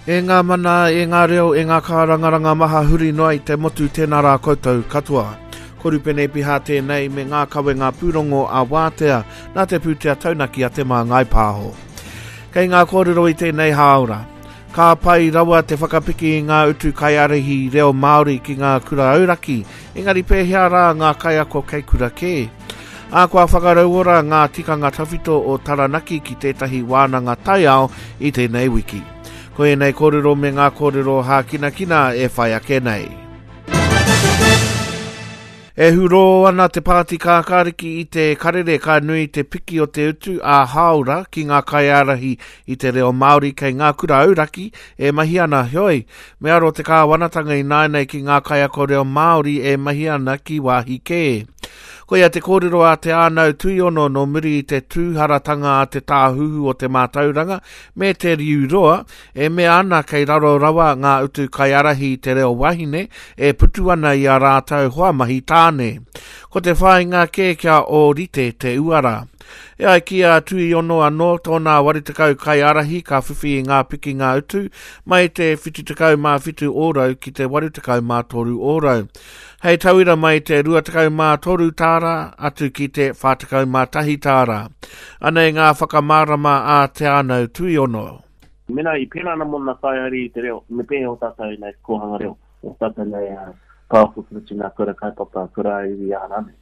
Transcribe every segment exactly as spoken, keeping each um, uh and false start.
E ngā mana, e ngā reo, e ngā kārangaranga maha huri noa i te motu tēnā rā koutou katoa. Ko Rupene Piha tēnei me ngā kawenga pūrongo a Wātea nā te pūtea taunaki a Te Māngai Pāho. Kei ngā kōrero i tēnei hāora. Ka pai rawa te whakapiki i ngā utu kaiārahi reo Māori ki ngā kura auraki, engari pēhea rā ngā kaiako kei kura kē. Ā, kua whakarauora ngā tikanga tawhito o Taranaki ki tētahi wānanga taiao i tēnei wiki. Ko ēnei kōrero me ngā kōrero hākinakina e whai ake nei. E hurō ana te Pāti Kākāriki i te karere ka nui te piki o te utu ā-hāora ki ngā kaiārahi i te reo Māori kei ngā kura auraki e mahi ana. Heoi, me aro te kāwanatanga ināianei ki ngā kaiako reo Māori e mahi ana ki wāhi kē. Koia te kōrero a Te Ānau Tuiono nō muri i te tūharatanga a te Tāhuhu o te Mātauranga me Te Riu Roa, e mea ana kei raro rawa ngā utu kaiārahi i te reo wahine e putu ana i a rātou hoa mahi tāne. Ko te whāinga kē kia ōrite te uara. E ai ki a Tuiono anō tōna waru tekau kaiārahi ka whiwhi i ngā pikinga utu mai te whitu tekau mā whitu ōrau ki te waru tekau mā toru ōrau. Hei tauira mai te rua tekau mā toru tāra atu ki te whā tekau mā tahi tāra. Anei ngā whakamārama a Te Ānau Tuiono. Mena i pēnā ana mō ngā kaiārahi i te reo, me pēhea o tātou nei kōhanga reo, o tātou nei pāoko ki roto i ngā kura kaupapa, kura iwi aha rānei.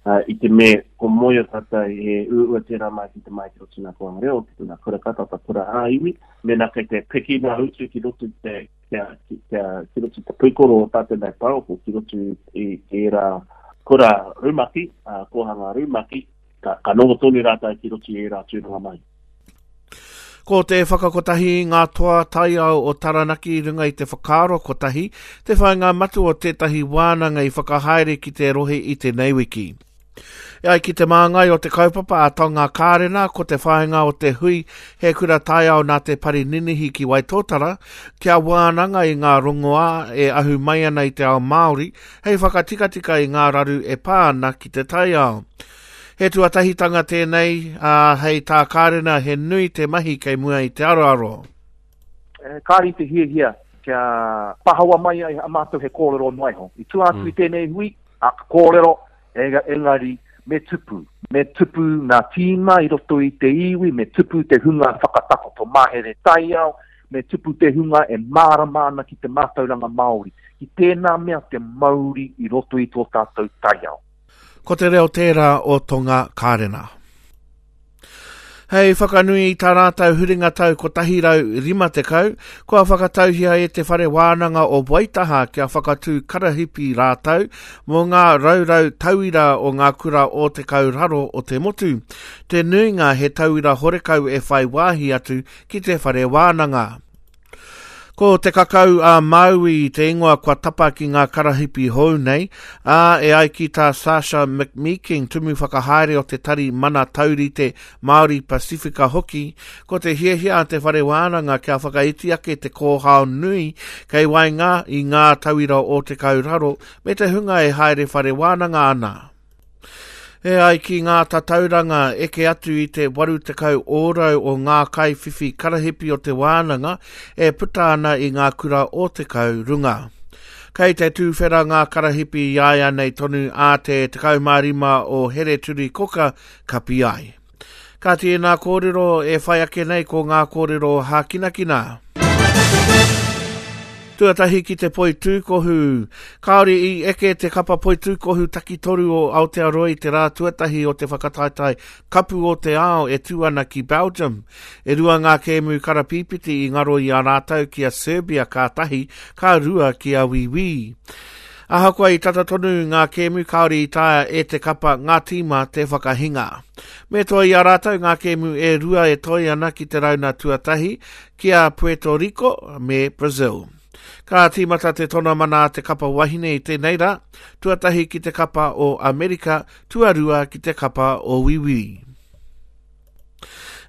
I te me ko moe o tātou he uaua tērā mai ki te mai ki roto i ngā kōhanga reo, ki ngā kura kaupapa, kura ā-iwi, mena kei te piki ngā utu ki roto i te kia, kia, ki roto i te pūkoro o tātou nei pāroko, ki roto i ērā kura rumaki, uh, kōhanga rumaki, ka, ka noho tonu rātou ki roto i ērā tūranga mai. Ko te whakakotahi i ngā toa taiao o Taranaki i runga i te whakaaro kotahi, te whāinga matua o tētahi wānanga i whakahaere ki te rohe i tēnei wiki. E ai ki te māngai o te kaupapa a Tonga Kārena, ko te whāinga o te hui he kura taiao nā te pari ninihi ki Waitōtara, kia wānanga i ngā rongoā e ahu mai ana i te ao Māori, hei whakatikatika i ngā raru e pā ana ki te taiao. He tuatahitanga tēnei, ā, hei tā Kārena he nui te mahi kei mua i te aroaro. Kāre i te hiahia kia pahawa mai ai a mātou he kōrero noa iho. I tua atu i tēnei hui, a ka kōrero, engari me tupu. Me tupu ngā tīma i roto i te iwi, me tupu te hunga whakatakoto mahere taiao, me tupu te hunga e mārama ana ki te mātauranga Māori, ki tēnā mea te mauri i roto i tō tātou taiao. Ko te reo tērā o Tonga Kārena. Hei whakanui i tā rātou huringa tau kotahi rau rima tekau, kua whakatauhia e te Whare Wānanga o Waitaha kia whakatū karahipi rātou mō ngā raurau tauira o ngā kura o te kauraro o te motu. Te nuinga he tauira horekau e whai wāhi atu ki te Whare Wānanga. Ko te kakau a Māui te ingoa kua tapa ki ngā karahipi hou nei, ā, e ai ki tā Sasha McMeeking, tumu whakahaere o te tari mana taurite Māori Pasifika hoki, ko te hiahia a te Whare Wānanga kia whakaiti ake te kōhao nui kei waenga i ngā tauira o te kauraro me te hunga e haere whare wānanga ana. E ai ki ngā tatauranga eke atu i te waru tekau ōrau o ngā kaiwhiwhi karahipi o te wānanga e puta ana i ngā kura o te kau runga. Kei te tūwhera ngā karahipi i a ia nei tonu a te tekau mā rima o Here Turi Koka kapi ai. Ka tēnā kōrero e whai ake nei ko ngā kōrero hākinakina. Tuatahi ki te poitūkohu. Kāore i eke te kapa poitūkohu takitoru o Aotearoa i te rā tuatahi o te whakataetae kapu o te ao e tū ana ki Belgium. E rua ngā kēmu karapīpiti i ngaro i a rātou ki a Serbia ka tahi, ka rua ki a Wīwī. Ahakoa i tata tonu ngā kēmu kāore i taea e te kapa ngā tīma te whakahinga. Me toa i a rātou ngā kēmu e rua e toi ana ki te rauna tuatahi, ki a Puerto Rico me Brazil. Ka tīmata te tonamana a te kapa wahine i tēnei rā, tuatahi ki te kapa o Amerika, tuarua ki te kapa o Wīwī.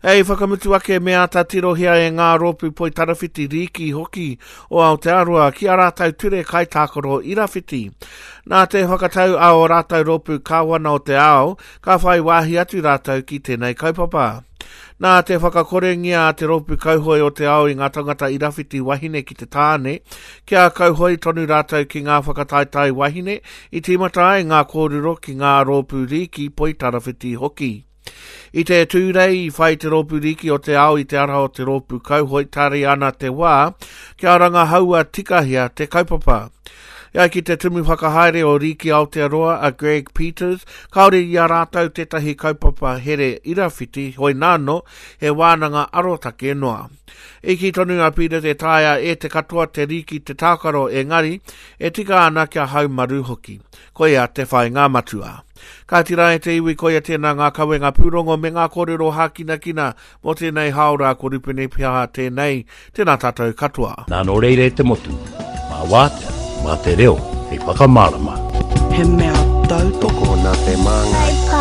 Hei whakamutu ake me āta tirohia e ngā rōpū poitarawhiti rīki hoki o Aotearoa ki a rātou ture kaitākaro irawhiti. Nā te whakatau a o rātou rōpū kāwana o te ao, ka whai wāhi atu rātou ki tēnei kaupapa. Nā te whakakorengia a te rōpū kauhoe o te ao i ngā tangata irawhiti wahine ki te tāne, kia kauhoe tonu rātou ki ngā whakataetae wahine, i tīmata ai ngā kōrero ki ngā rōpū rīki poitarawhiti hoki. I te tūrei i whai te rōpū rīki o te ao i te ara o te rōpū kauhoe tari ana te wā, kia rangahaua tikahia te kaupapa. E ai ki te tumu whakahaere o Rīki Aotearoa a Greg Peters, kāore i a rātou tētahi kaupapa here irawhiti, hoi nāno, he wānanga arotake noa. I kī tonu a Peters e taea e te katoa te rīki te tākaro engari, e tika ana kia haumaru hoki. Koia te whāinga matua. Ka tira e te iwi koia tēnā ngā kawenga pūrongo me ngā kōrero hākinakina mō tēnei hāora ko Rupene Piaha tēnei, tēnā tātou katoa. Nā nō reira e te motu, mā wātea, mā te reo, hei whakamārama. He mea tautoko Tokona te māngai.